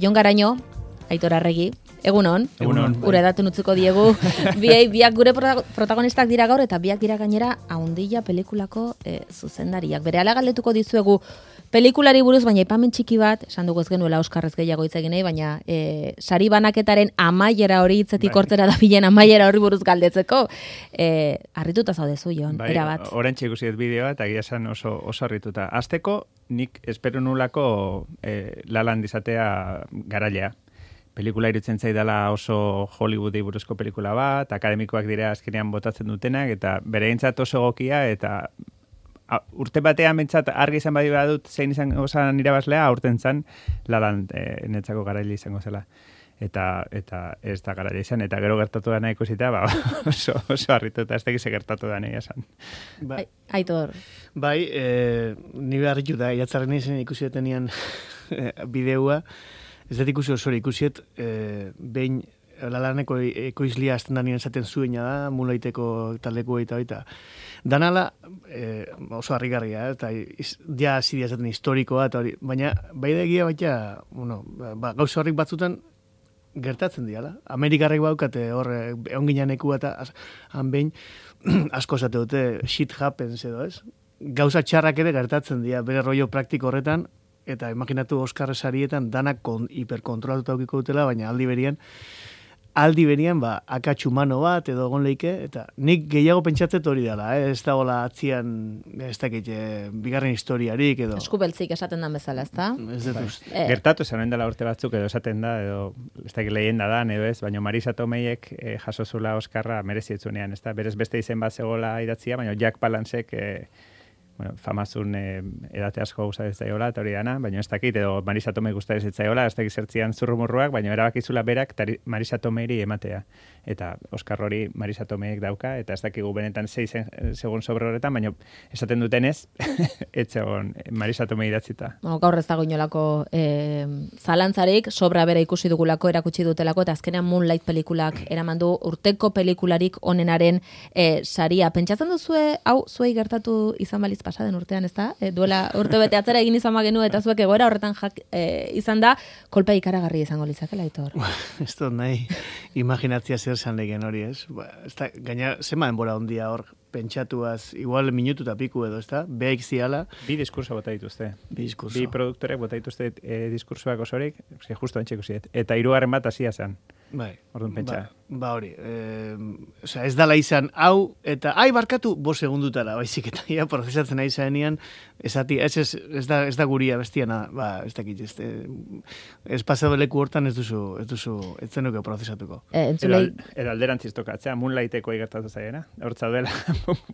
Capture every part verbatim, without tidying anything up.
Jon Garaño, Aitor Arregi, egunon. Egunon. Gure datu nutzuko diegu. Biei, biak gure protagonistak dira gaur eta biak dira gainera Haundilla pelikulako e, zuzendariak. Berehala galdetuko dizuegu pelikulari buruz, baina aipamen txiki bat, esan dugu ez genuela Oskarrez gehiago hitz egin nahi, baina e, sari banaketaren amaiera hori hitzetik hortzera da bilen amaiera horri buruz galdetzeko. E, harrituta zaudezu, Jon, bai, erabat. Orentxe ikusi dut bideoa eta egia esan oso, oso harrituta. Azteko, nik espero nulako e, lalan dizatea garailea. Pelikula irutzen zaidala oso Hollywoodi buruzko pelikula bat, akademikoak dira azkenean botatzen dutenak, eta bereintzat oso egokia, eta a, urte batean bentsat argi izan badi badut zein izan osan irabazlea, aurten zan lalan e, netzako garaile izango zela. Eta, eta ez da garaile izan, eta gero gertatu dana ikusita, ba, oso, oso harrituta, ez tegize gertatu dana esan. Ba, Aitor. Bai, e, nire harrituta, jatzarren izan ikusi detenean bideoa, ez dut ikusi osori, ikusiet, e, behin lalaneko ekoizlia azten da nien esaten zuena da, mulaiteko taleko eta baita. Danala e, oso harrigarria, eta iz, ja zidia esaten historikoa, eta hori, baina bai da egia baita, bueno, ba, gauza horrik batzutan gertatzen diala. Amerikarrek baukate hor, egon gineaneku eta han behin asko esate dute shit happens edo, ez? Gauza txarrak ere gertatzen dira, bere rollo praktiko horretan, eta imaginatu Oscar sarietan danak kon, hiperkontrolatuta aukiko dutela, baina aldi berian, aldi berian, ba, akats humano bat edo egon leike, eta nik gehiago pentsatzet hori dela, eh? Ez da hola atzian, ez dakit, eh, bigarren historiarik edo... Eskubeltzik esaten dan bezala, ez da? Ez dut uste. Eh. Gertatu esan dela urte batzuk edo esaten da, edo ez dakit lehenda da, edo ez, baina Marisa Tomeiek eh, jaso zula Oskarra merezietzunean, ez da? Berez beste izen bat zegoela idatzia, baina Jack Palancek... Eh, bueno, famazun eh, edate asko gusta ez zaiola, eta hori dana, baina ez dakit, edo Marisa Tomei gusta ez zaiola, ez dakit zertzian zurrumurruak, baina erabakizula berak tari, Marisa Tomeiri ematea. Eta Oskar hori Marisa Tomeiek dauka, eta ez dakigu benetan sei segun sobre horretan, baina esaten dutenez, etzegon Marisa Tomei idatzita. Bueno, gaur ez dago inolako eh, zalantzarik, sobra bera ikusi dugulako, erakutsi dutelako, eta azkenean Moonlight pelikulak eraman du urteko pelikularik onenaren eh, saria. Pentsatzen duzue, hau, zuei gertatu izan baliz pasaden urtean, ez da? E, duela urte bete atzera egin izan bagenu eta zuek egoera horretan jak, e, izan da, kolpea ikaragarri izango litzakela, Aitor. Ez dut nahi, imaginatzia zer zan legen hori, ez? Ba, ez da, gaina, zema denbora ondia hor, pentsatuaz, igual minutu eta piku edo, ez da? Behaik ziala. Bi diskurso bota dituzte. Bi diskurso. Bi produktorek bota dituzte e, diskursoak osorik, ze justo antxe ikusiet. Eta hirugarren bat hasia zen. Bai. Orduan pentsa. Ba, ba hori. E, osea, ez dala izan hau, eta ai, barkatu, bo segundutara, baizik, eta ia prozesatzen nahi zaenian, esati, ez, ez, ez, da, ez da guria bestiana, ba, ez dakit, ez, ez pasado leku hortan ez duzu, ez duzu, ez zenuke prozesatuko. E, entzulei... Edo alderantziz tokatzea, Moonlighteko igertatu zaiena, hortza duela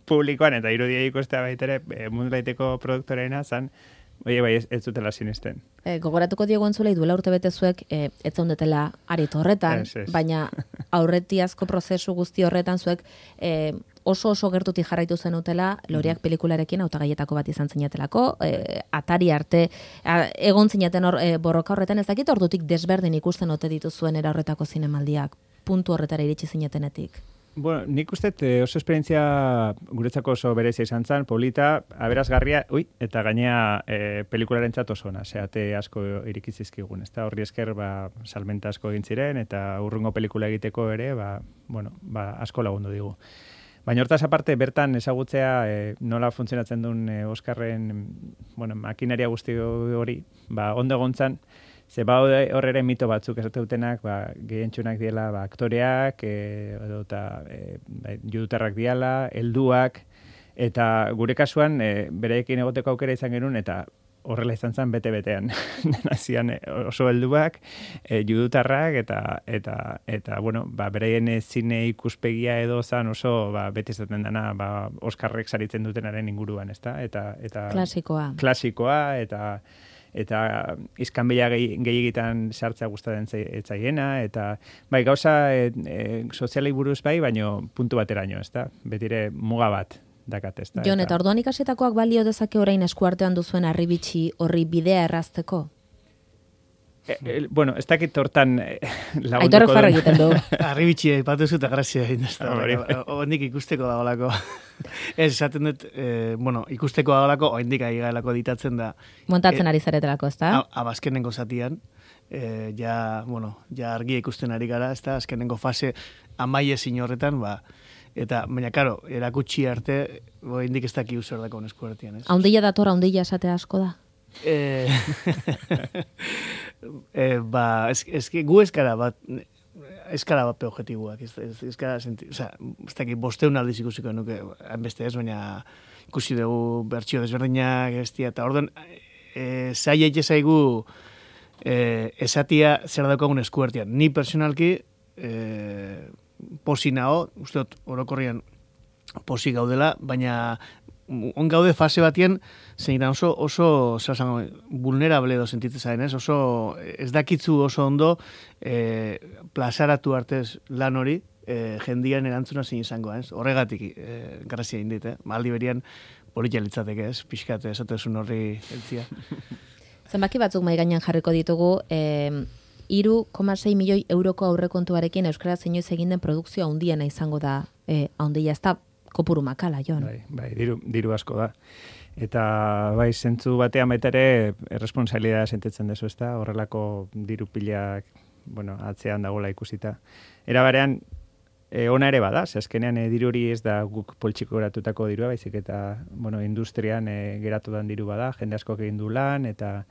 publikoan, eta irudia ikustea baitere, e, Moonlighteko produktoreena zan, oie, bai, ez, ez dutela sinisten. E, gogoratuko diego entzulei duela urte betezuek e, ez zaundetela aritu horretan, es, es. baina aurretiazko prozesu guzti horretan zuek e, oso oso gertutik jarraitu zenutela Loreak pelikularekin hautagaietako bat izan zinatelako, e, atari arte, a, egon zineten hor e, borroka horretan, ez dakit ordutik desberdin ikusten ote dituzuen era horretako zinemaldiak, puntu horretara iritsi zinetenetik. Bueno, nik uste oso esperientzia guretzako oso berezia izan zen, polita, aberazgarria, ui, eta gainea e, pelikularentzat oso ona, zeate asko irikizizkigun, ez da, horri esker, ba, salmenta asko egin ziren, eta urrungo pelikula egiteko ere, ba, bueno, ba, asko lagundu digu. Baina hortaz aparte, bertan ezagutzea e, nola funtzionatzen duen e, Oskarren, bueno, makinaria guzti hori, ba, ondo egontzan, ze ba horrere mito batzuk esate dutenak, ba, gehientsunak diela ba, aktoreak, e, edo eta e, ba, judutarrak diala, helduak, eta gure kasuan e, bereekin egoteko aukera izan genuen, eta horrela izan zen bete-betean. Nazian oso helduak, e, judutarrak, eta, eta, eta bueno, ba, bereien zine ikuspegia edo zan oso ba, bete izaten dena ba, Oskarrek saritzen dutenaren inguruan, ezta? Eta, eta, klasikoa. Klasikoa, eta eta izkanbila gehiagitan sartzea gustatzen etzaiena, eta bai, gauza e, e, sozialei buruz bai, baino puntu bateraino, ez da? Betire muga bat dakat, ez da? Jon, eta orduan ikasietakoak balio dezake orain eskuartean duzuen harribitxi horri bidea errazteko? E, e, bueno, ez dakit hortan eh, lagunduko Aitorrek farra egiten du. Arribitxi, ipatu zuta grazia egin da. Oendik ikusteko da golako. Ez, esaten dut, eh, bueno, ikusteko da golako, oendik aigaelako ditatzen da. Montatzen ari zaretelako, ez da? Abazkenengo zatian. e, ja, bueno, ja argia ikusten ari gara, ez da, azkenengo fase amaie zin horretan, ba, eta, baina, karo, erakutsi arte, bo, indik ez daki uzer dako nesku artean, ez? Haundilla dator, haundilla esatea asko da? E, e, ba, ez, ez, gu eskara bat, eskara bat objektiboak, ez, ez, eskara, senti, oza, ez daki, bosteun aldiz ikusiko nuke, beste ez, baina ikusi dugu bertsio desberdinak, estia, eta orduan, e, zai eitxe zaigu, e, esatia zer daukagun eskuartean. Ni personalki, e, posi nao, uste dut, orokorrian posi gaudela, baina on gaude fase batien, zein oso, oso, zer zango, vulnerable edo sentitzen zaren, ez? Oso, ez dakitzu oso ondo, e, plazaratu artez lan hori, e, jendian erantzuna zein izango, ez? Horregatik, e, grazia indit, eh? Maldi berian, politia litzateke, ez? Pixkat, esatezun horri eltzia. Zenbaki batzuk mai gainean jarriko ditugu, eh, hiru koma sei milioi euroko aurrekontuarekin euskaraz inoiz egin den produkzio handiena izango da, eh, handia, ez da kopuru makala, Jon. Bai, bai, diru, diru asko da. Eta bai, zentzu batean baita ere, erresponsalidadea sentitzen dezu, ez da, horrelako diru pilak, bueno, atzean dagoela ikusita. Era barean, e, ona ere bada, ze azkenean e, diru hori ez da guk poltsiko geratutako dirua, baizik eta, bueno, industrian e, geratu dan diru bada, jende asko egin du lan, eta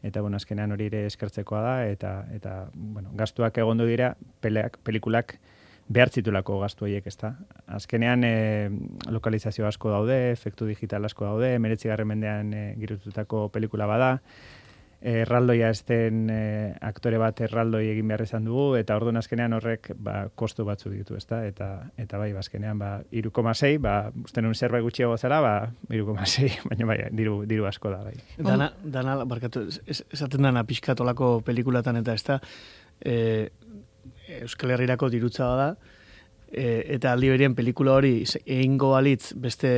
eta bueno, azkenean hori ere eskertzekoa da, eta, eta bueno, gastuak egondu dira, peleak, pelikulak behar zitulako gastu horiek, ez da. Azkenean e, lokalizazio asko daude, efektu digital asko daude, emeretzigarren mendean e, girututako pelikula bada, erraldoia ez den e, aktore bat erraldoi egin behar izan dugu, eta orduan azkenean horrek ba, kostu batzu ditu, ez da, eta, eta bai, azkenean ba, hiru koma sei, ba, uste nun zerbait gutxiago zara, ba, hiru koma sei, baina bai, diru, diru asko da, bai. Dana, dana barkatu, es, esaten dana pixkatolako pelikulatan eta ez da, e, Euskal Herrirako dirutza da, e, eta aldi berien pelikula hori egingo balitz beste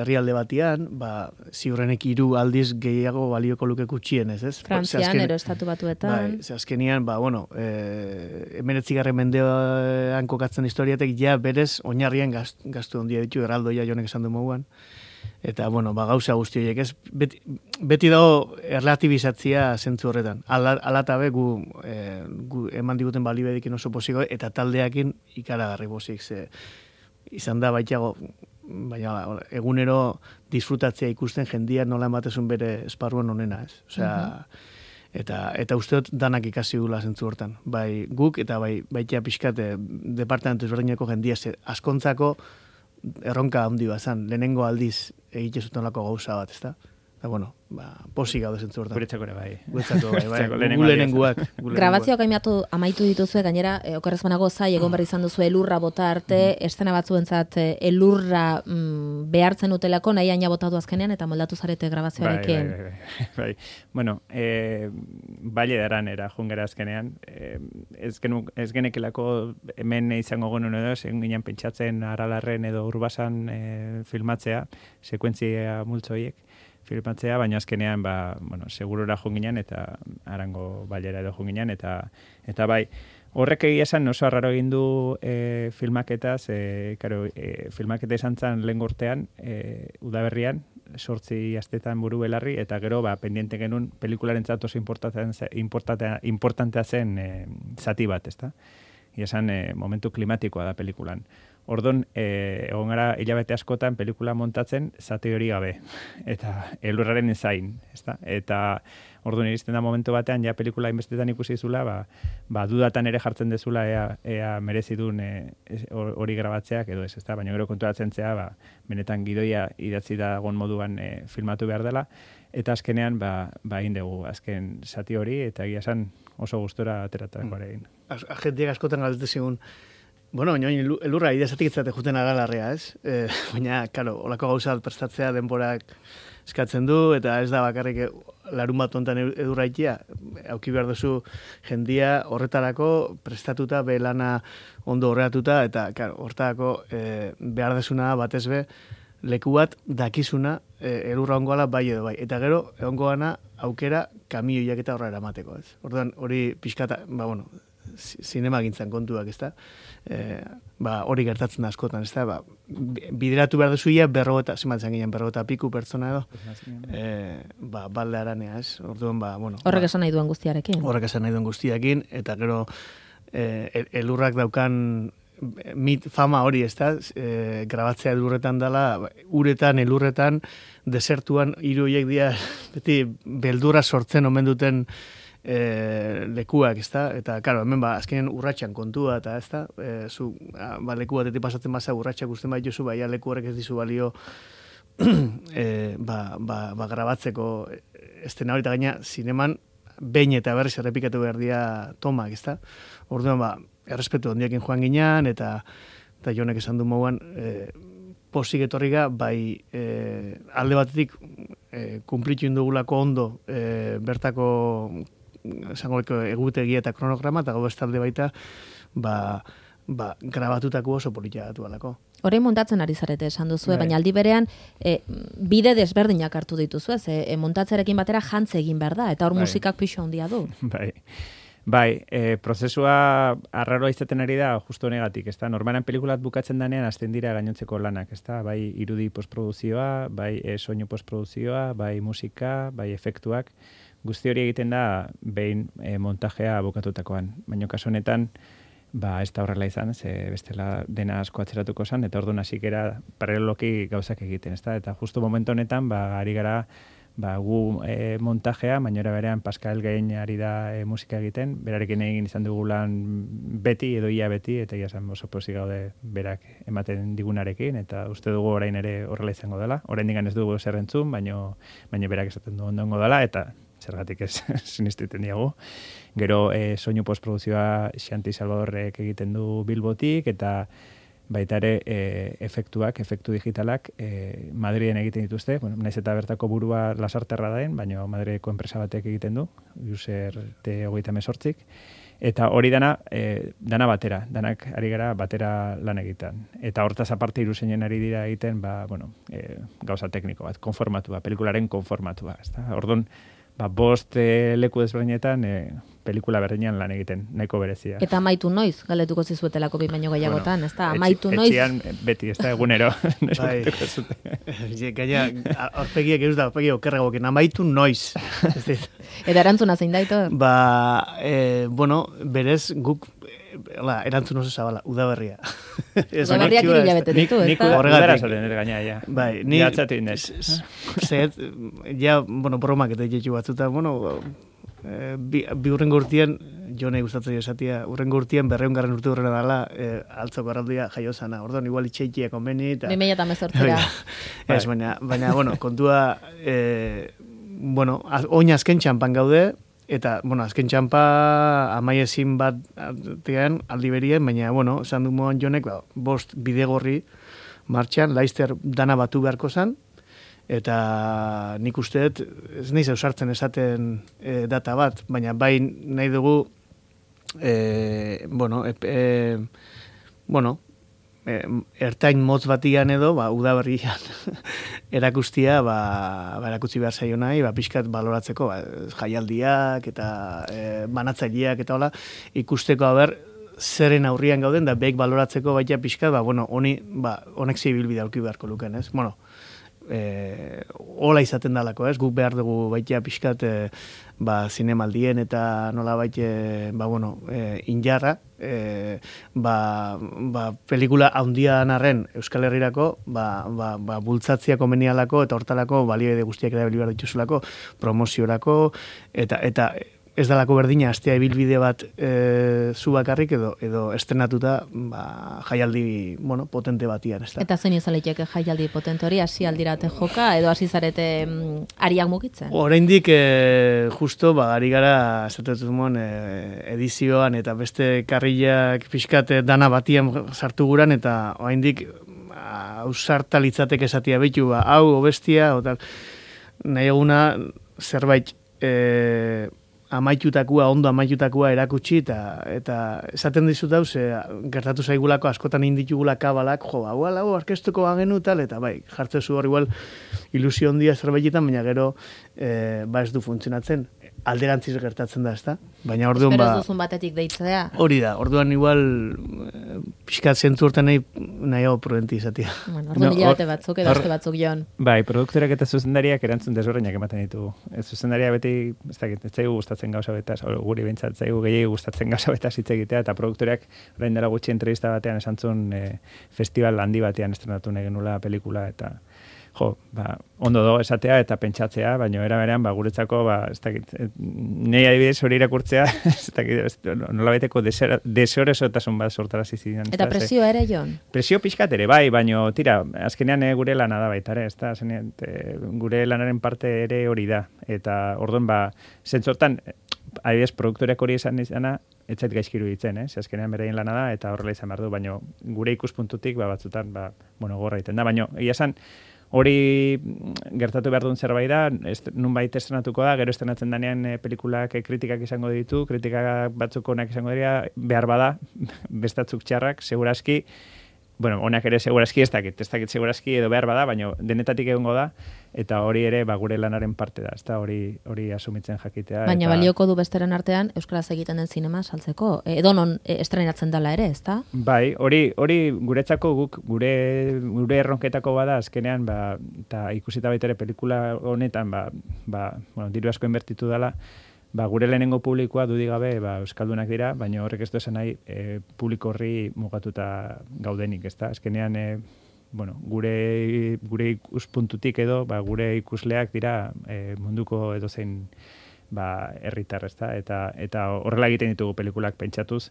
herrialde batian, ba, ziurrenek hiru aldiz gehiago balioko luke gutxienez, ez? Frantzian, azken, ero estatu batuetan. Bai, ze azkenian, ba, bueno, e, emeretzigarren mendean kokatzen historiatek ja berez oinarrien gastu, gastu ondia ditu, erraldoia jonek esan du moguan. Eta, bueno, ba, gauza guzti horiek, ez? Beti, beti dago erlatibizatzia zentzu horretan. Alatabe gu, e, gu eman diguten balibedikin oso posiko, eta taldeakin ikaragarri bozik, ze izan da baitago, baina egunero disfrutatzea ikusten jendia nola ematezun bere esparruan onena, ez? Osea, eta, eta uste dut danak ikasi gula zentzu hortan. Bai guk, eta bai baitea pixkate departamentu ezberdineko jendia, ze askontzako erronka handi bazan, lehenengo aldiz egite zuten lako gauza bat, ezta? Eta, bueno, ba, posik gaude zentzu hortan. Guretzako ere bai. Guretzako bai, bai. Gu lehenengoak. Grabazioak amaitu, amaitu dituzue, gainera, e, okerrez banago zai, egon berri izan duzu elurra bota arte, mm. estena batzuentzat elurra mm, behartzen utelako, nahi aina botatu azkenean, eta moldatu zarete grabazioarekin. Bai, bai, bai, bai. Bueno, e, baile daran era jungera azkenean, e, ez, genu, ez genekelako hemen izango genuen edo, zen ginen pentsatzen aralarren edo urbasan e, filmatzea, sekuentzia multzoiek, filmatzea, baina azkenean ba, bueno, segurura junginan eta arango bailera edo junginan eta eta bai, horrek egia esan oso arraro egin du e, filmaketaz, e, karo, e, filmaketa izan zen lehen gortean, e, udaberrian, sortzi astetan buru belarri, eta gero ba, pendiente genuen pelikularentzat oso importantea, importantea zen e, zati bat, ezta? Ia esan, e, momentu klimatikoa da pelikulan. Ordon, e, egon gara hilabete askotan pelikula montatzen zati hori gabe. Eta elurraren ezain, ezta? Eta ordun iristen da momentu batean, ja pelikula inbestetan ikusi zula, ba, ba dudatan ere jartzen dezula ea, ea merezi duen hori e, grabatzeak edo ez, ezta? Baina gero konturatzen zea, ba, benetan gidoia idatzi dagoen moduan e, filmatu behar dela, eta azkenean, ba, ba egin dugu, azken zati hori, eta egia esan oso gustora ateratako ere egin. Agentiak askotan galdetu zigun, bueno, baina elurra ideazatik itzate juten aralarrea, ez? E, baina, karo, olako gauza prestatzea denborak eskatzen du, eta ez da bakarrik larun bat ontan edurra ikia, auki behar duzu jendia horretarako prestatuta, belana ondo horreatuta, eta, karo, hortarako e, behar desuna batez be, leku bat dakizuna e, elurra ongoala bai edo bai. Eta gero, ongoana aukera kamioiak eta horra eramateko, ez? Orduan, hori pixkata, ba, bueno, zinemagintzan kontuak, ez da? E, ba, hori gertatzen da askotan, ez da? Ba, bideratu behar duzuia, berrogeta, zimatzen ginen, berrogeta piku pertsona edo, e, ba, balde aranea, ez? Orduan, ba, bueno. Horrek ba, esan nahi duen guztiarekin. Horrek esan nahi duen guztiarekin, eta gero, e, elurrak daukan mit fama hori, ez da? E, grabatzea elurretan dela, uretan, elurretan, desertuan, hiru horiek dira, beti, beldura sortzen omen duten e, lekuak, ez da? Eta, karo, hemen, ba, azkenen urratxan kontua, eta, ez da? E, zu, ba, leku batetik pasatzen baza, urratxak usten bai jozu, ba, ja, leku horrek ez dizu balio, e, ba, ba, ba, grabatzeko estena hori, eta gaina, zineman, behin eta berriz errepikatu behar dira tomak, ez da? Orduan, ba, errespetu ondiakin joan ginean, eta, eta jonek esan du mauan, e, posik etorriga, bai e, alde batetik e, kumplitu indugulako ondo e, bertako esango egutegia eta kronograma, eta gau bestalde baita, ba, ba, grabatutako oso politia datu alako. Horrein montatzen ari zarete esan duzu, baina aldi berean e, bide desberdinak hartu dituzu, ez? E, montatzerekin batera jantze egin behar da, eta hor musikak pixo handia du. Bai. Bai, e, prozesua arraroa izaten ari da justo honegatik, ezta? Normalan pelikulat bukatzen danean hasten dira gainontzeko lanak, ezta? Bai irudi postproduzioa, bai e, soinu postproduzioa, bai musika, bai efektuak, guzti hori egiten da behin e, montajea bukatutakoan. Baina kasu honetan, ba, ez da horrela izan, ze bestela dena asko atzeratuko zen, eta orduan hasikera paraleloki gauzak egiten, ezta? Eta justo momentu honetan, ba, ari gara ba, gu e, montajea, baina berean Pascal Gain ari da e, musika egiten, berarekin egin izan dugu lan beti, edo ia beti, eta ia esan oso pozik gaude berak ematen digunarekin, eta uste dugu orain ere horrela izango dela. Orain digan ez dugu zer entzun, baina, baina berak esaten du ondongo dela, eta zergatik ez sinistiten diagu. Gero e, soinu postproduzioa Xanti Salvadorrek egiten du Bilbotik, eta baita ere e, efektuak, efektu digitalak e, Madriden egiten dituzte, bueno, naiz eta bertako burua lasarterra daen, baina Madrideko enpresa batek egiten du, user T hogeita hemezortzik, eta hori dana, e, dana batera, danak ari gara batera lan egiten. Eta hortaz aparte iruseinen ari dira egiten, ba, bueno, e, gauza tekniko bat, konformatua, pelikularen konformatua, ezta? Orduan, ba, bost e, leku desberdinetan e, pelikula berdinean lan egiten, nahiko berezia. Eta amaitu noiz, galetuko zizuetelako bi baino gehiagotan, bueno, ez da, amaitu noiz. Etxian beti, ez da, egunero. Bai, gaina, aurpegiak ez da, aurpegiak okerregoken, amaitu noiz. Eta erantzuna zein daito? Ba, e, bueno, berez guk, Hala, erantzun oso zabala, udaberria. Udaberriak hiru hilabete ditu, ez da? Udara zoren ere gaina, ja. Bai, ni... Jatzatu indez. Zet, ja, bueno, bromak eta jetxu batzuta, bueno, bi, bi urrengo urtien, jone gustatzen esatia, urrengo urtien berreungarren urte urrena dela, e, altzoko arraldia jaiozana. Orduan, igual itxeikia konbeni. Bi mila eta mezortzera. Ez, baina, baina, bueno, kontua, e, bueno, oin azken txampan gaude, eta, bueno, azken txampa amaiezin bat tean aldi berien, baina, bueno, esan du moan jonek, ba, bost bidegorri martxan, laizter dana batu beharko zan, eta nik usteet, ez nahi zausartzen esaten e, data bat, baina bai nahi dugu, e, bueno, e, e, bueno, e, ertain motz batian edo, ba, udaberrian erakustia, ba, ba, erakutsi behar zaio nahi, ba, pixkat baloratzeko, ba, jaialdiak eta e, banatzaileak eta hola, ikusteko haber, zeren aurrian gauden, da beik baloratzeko baita pixkat, ba, bueno, honi, ba, honek zibilbide aurki beharko luken, ez? Bueno, e, hola izaten dalako, ez? Guk behar dugu baita pixkat, e, ba, zinemaldien eta nola baita, ba, bueno, e, injarra, e, ba, ba, pelikula haundian arren Euskal Herrirako, ba, ba, ba, bultzatzia komenialako eta hortalako balioide guztiak erabili behar dituzulako, promoziorako, eta, eta ez dalako berdina astea ibilbide bat e, zu bakarrik edo edo estrenatuta ba, jaialdi bueno, potente batian. Ez da? Eta zein izan liteke jaialdi potente hori, hasi aldirate joka edo hasi zarete mm, ariak mugitzen? Oraindik e, justo ba, ari gara esatetu mon, e, edizioan eta beste karrilak pixkat dana batian sartu guran eta oraindik ausarta litzateke esatia behitu, ba, hau, obestia, o tal, nahi eguna zerbait e, amaitutakua, ondo amaitutakua erakutsi, eta, eta esaten dizut hau, ze gertatu zaigulako askotan inditugula kabalak, jo, hau, hau, arkestuko bagenu tal, eta bai, jartzezu hor igual ilusio ondia zerbaitetan, baina gero e, ba ez du funtzionatzen. alderantziz gertatzen da, ezta? Baina orduan ba... ba... Espero duzun batetik deitzea. Hori da, orduan igual pixkat zentu hortan nahi, nahi hau prudenti izatea. Bueno, orduan no, hilabete batzuk edo aste batzuk joan. Bai, produktorak eta zuzendariak erantzun desberdinak ematen ditugu. Ez zuzendaria beti, ez dakit, ez zaigu gustatzen gauza betaz, guri bintzat zaigu gehiago gustatzen gauza betaz hitz egitea, eta produktoreak orain dela gutxi entrevista batean esan zuen e, festival handi batean estrenatu nahi genula pelikula, eta jo, ba, ondo do esatea eta pentsatzea, baina era berean, ba, guretzako, ba, ez dakit, nahi adibidez hori irakurtzea, ez dakit, nola baiteko desoresotasun bat sortarazi zidan. Eta presioa ere, Jon? Presio pixkat ere, bai, baina, tira, azkenean e, gure lana da baita, ere, ez da, azkenean, e, gure lanaren parte ere hori da, eta orduan, ba, zentzortan, adibidez, produktoreak hori esan izana, ez zait gaizkiru ditzen, eh? Azkenean beraien lana da, eta horrela izan behar du, baina gure ikuspuntutik, ba, batzutan, ba, bueno, gorra egiten da, baina, egia esan, hori gertatu behar duen zerbait da, est, nunbait estrenatuko da, gero estrenatzen danean e, pelikulak e, kritikak izango ditu, kritikak batzuk onak izango dira, behar bada, bestatzuk txarrak, segurazki, bueno, onak ere segurazki ez dakit, ez dakit segurazki edo behar bada, baina denetatik egongo da, eta hori ere ba, gure lanaren parte da, ezta hori hori asumitzen jakitea. Baina eta... balioko du besteren artean euskaraz egiten den zinema saltzeko, edo non estrenatzen dela ere, ezta? Bai, hori hori guretzako guk gure gure erronketako bada azkenean, ba ta ikusita baita ere pelikula honetan, ba ba, bueno, diru asko inbertitu dela. Ba, gure lehenengo publikoa dudik gabe ba, euskaldunak dira, baina horrek ez du esan nahi e, publiko horri mugatuta gaudenik, ezta? Azkenean, e, bueno, gure, gure ikuspuntutik edo, ba, gure ikusleak dira e, munduko edozein ba, herritar, ezta? Eta, eta horrela egiten ditugu pelikulak pentsatuz,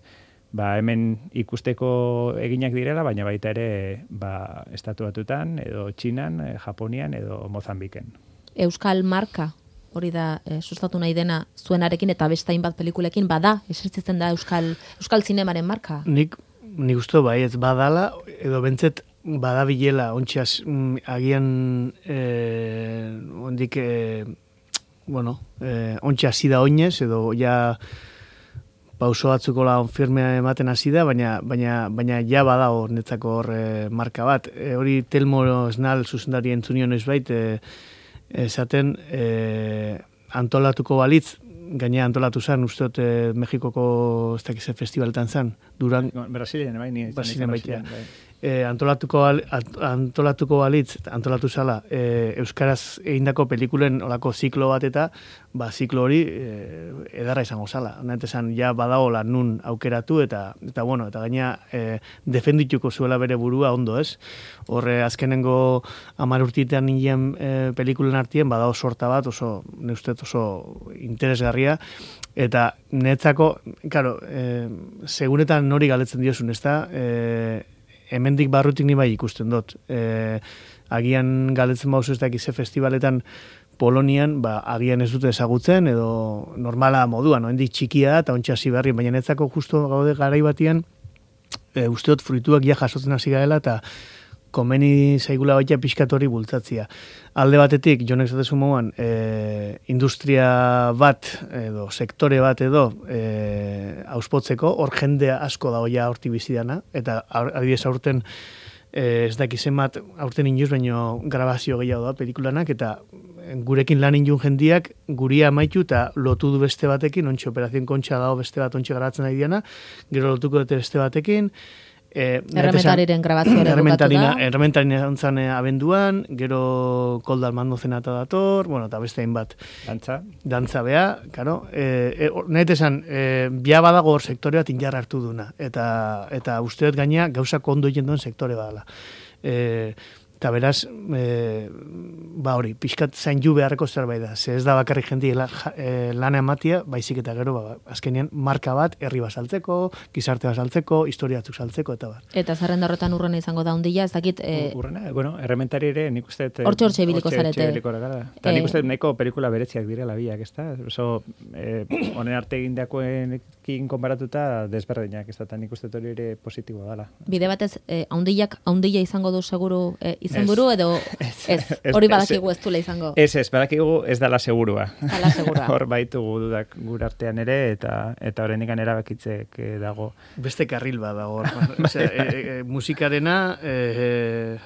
ba, hemen ikusteko eginak direla, baina baita ere ba, estatu batutan, edo Txinan, e, Japonian, edo Mozambiken. Euskal marka? Hori da, e, sustatu nahi dena zuenarekin eta beste hainbat pelikulekin bada, esertzitzen da Euskal Euskal zinemaren marka? Nik, nik uste bai, ez badala, edo bentzet badabilela, ontsiaz, agian, eh, ondik, eh, bueno, eh, ontsia hasi da oinez, edo ja pauso batzuko la firmea ematen hasi da, baina, baina, baina ja bada hor netzako hor eh, marka bat. E, hori Telmo Esnal zuzendari entzunio noiz bait, eh, esaten e, antolatuko balitz, gainea antolatu zen, uste dut e, Mexikoko ez dakize festivaletan zen, Duran... Brasilen, bai, ni... Brasilen baitea. E, antolatuko, antolatuko balitz, antolatu zala, e, Euskaraz egindako pelikulen olako ziklo bat eta, ba, ziklo hori e, edarra izango zala. Nahet esan, ja badagola nun aukeratu eta, eta bueno, eta gaina e, defendituko zuela bere burua ondo, ez? Horre, azkenengo hamar urtitean nien e, pelikulen artien, badago sorta bat, oso, ne ustez oso interesgarria, eta netzako, claro, e, segunetan nori galetzen diozun, ez da? E, hemendik barrutik ni bai ikusten dut. E, agian galetzen bauzu ez dakize festivaletan Polonian, ba, agian ez dute ezagutzen, edo normala moduan, hendik txikia da, eta ontsa hasi berri, baina netzako justo gaude garai batian, e, uste dut fruituak ja jasotzen hasi gaela, eta komeni zaigula baita pixkatori bultzatzia. Alde batetik, jonek zatezu moduan, e, industria bat, edo sektore bat edo, e, auspotzeko, hor jende asko da hoia horti bizidana, eta adibidez aurten, e, ez dakizen bat, aurten inoz, baino grabazio gehiago da pelikulanak, eta gurekin lan injun jendiak, guria amaitu eta lotu du beste batekin, ontsi operazion kontxa dago beste bat ontsi garatzen ari diana, gero lotuko dute beste batekin, Eh, Errementariren grabazioa ere bukatu da. Errementarinen zan abenduan, gero Kolda Almando zenata dator, bueno, eta beste hainbat. Dantza. Dantza bea, karo. Eh, eh, Nahet esan, eh, bia badago hor sektore bat injarra hartu duna. Eta, eta usteet gaina gauzak ondo egin duen sektore badala. Eh, eta beraz, e, ba hori, pixkat zain ju beharreko zerbait da. Ze ez da bakarrik jendi la, e, lana ematia, baizik eta gero, ba, azkenean, marka bat, herri basaltzeko, gizarte basaltzeko, historia batzuk saltzeko, eta bat. Eta zerrenda horretan urrena izango da hundila, ez dakit... E... Urrena, bueno, errementari ere, nik uste... Hortxe hortxe ibiliko zarete. Eta nik uste nahiko pelikula beretziak direla biak, ez da? Oso, honen arte egindakoen kin konparatuta desberdinak, ez da, eta nik uste hori ere positiboa dela. Bide batez, eh, haundillak, haundilla izango du seguru eh, izenburu, edo ez, hori badakigu ez dula izango. Ez, ez, badakigu ez dala segurua. Dala segurua. Hor baitugu dudak gure artean ere, eta eta horrendik erabakitzek dago. Beste karril bat dago. Osea, e, e, musikarena, e,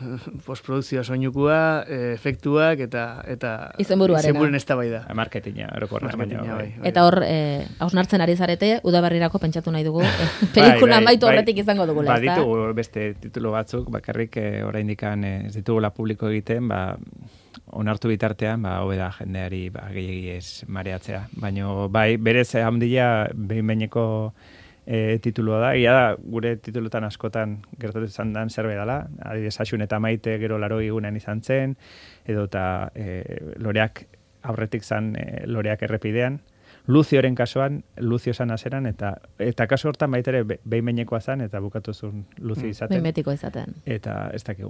postprodukzioa soinukua, e, efektuak, eta eta izenburuarena. Izenburuaren eztabaida. Marketinga, orokorra. Bai. Eta hor, eh, hausnartzen ari zarete, udaberrirako pentsatu nahi dugu, eh, pelikula amaitu horretik izango dugula, ba, ez da? Ditugu beste titulu batzuk, bakarrik eh, oraindikan eh, ez ditugula publiko egiten, ba, onartu bitartean, ba, hobe da jendeari ba, gehiegi ez mareatzea. Baina, bai, berez handia behin-behineko e, titulua da. Ia da, gure titulutan askotan gertatu izan dan zerbait dela. Adibidez, Asun eta Maite gero larogei egunean izan zen, edo eta e, loreak aurretik zan e, loreak errepidean. Luzioren kasuan, Luzio zan azeran, eta eta kasu hortan baitere behin-behinekoa zan, eta bukatu zuen Luzio izaten. Behin-betiko izaten. Eta ez dakigu.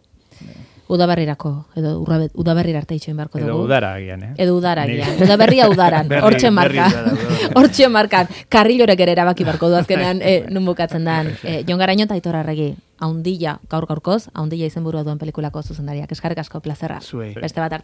Udaberrirako, edo udaberrir arte itxoin beharko dugu. Edo udara agian, eh? Edo udara agian. Udaberria udaran, hortxe marka. Hortxe markan. Karrilorek ere erabaki beharko du azkenean eh, nun bukatzen dan. Eh, Jon Garaño eta Aitor Arregi, haundilla, gaur gaurkoz, haundilla izenburua duen pelikulako zuzendariak. Eskarrik asko plazerra. Zuei. Beste bat